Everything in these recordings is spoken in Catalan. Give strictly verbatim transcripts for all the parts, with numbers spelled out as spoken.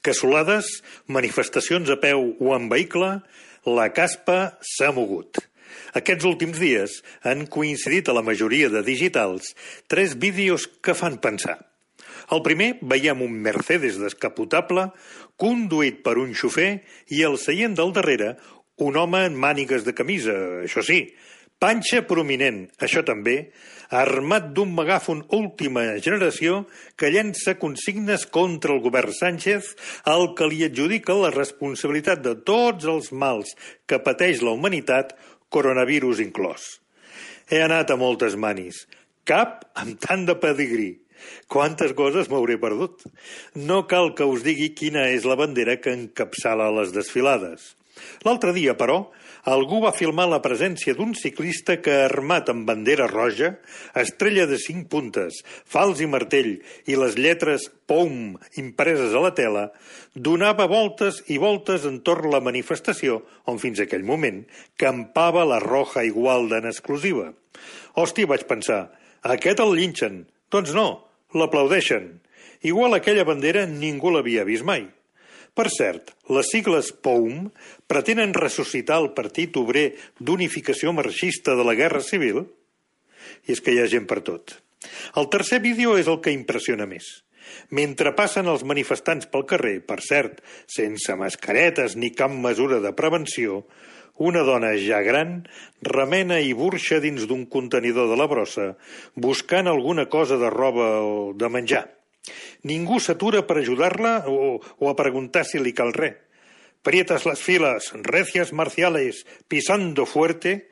Cassolades, manifestacions a peu o en vehicle, la caspa s'ha mogut. Aquests últims dies han coincidit a la majoria de digitals tres vídeos que fan pensar. Al primer veiem un Mercedes descapotable conduït per un xofer i al seient del darrere un home en mànigues de camisa, això sí, panxa prominent, això també, armat d'un megàfon última generació que llença consignes contra el govern Sánchez, al que li adjudica la responsabilitat de tots els mals que pateix la humanitat, coronavirus inclòs. He anat a moltes manis, cap amb tant de pedigrí. Quantes coses m'hauré perdut. No cal que us digui quina és la bandera que encapçala les desfilades. L'altre dia, però, algú va filmar la presència d'un ciclista que, armat amb bandera roja, estrella de cinc puntes, fals i martell i les lletres P O M impreses a la tela, donava voltes i voltes entorn la manifestació on fins aquell moment campava la Roja Igualda en exclusiva. Hòstia, vaig pensar, aquest el linxen. Doncs no, l'aplaudeixen. Igual aquella bandera ningú l'havia vist mai. Per cert, les sigles P O M pretenen ressuscitar el Partit Obrer d'Unificació Marxista de la Guerra Civil? I és que hi ha gent per tot. El tercer vídeo és el que impressiona més. Mentre passen els manifestants pel carrer, per cert, sense mascaretes ni cap mesura de prevenció, una dona ja gran remena i burxa dins d'un contenidor de la brossa buscant alguna cosa de roba o de menjar. Ningú s'atura per ajudar-la o, o a preguntar si li cal res. Prietas les files, recias marciales, pisando fuerte,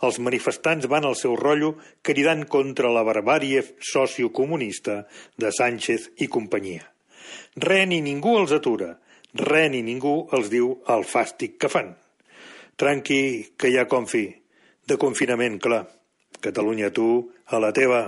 els manifestants van al seu rotllo cridant contra la barbàrie sociocomunista de Sánchez i companyia. Res ni ningú els atura, res ni ningú els diu el fàstic que fan. Tranqui, que hi ha confi. De confinament, clar. Catalunya, tu, a la teva.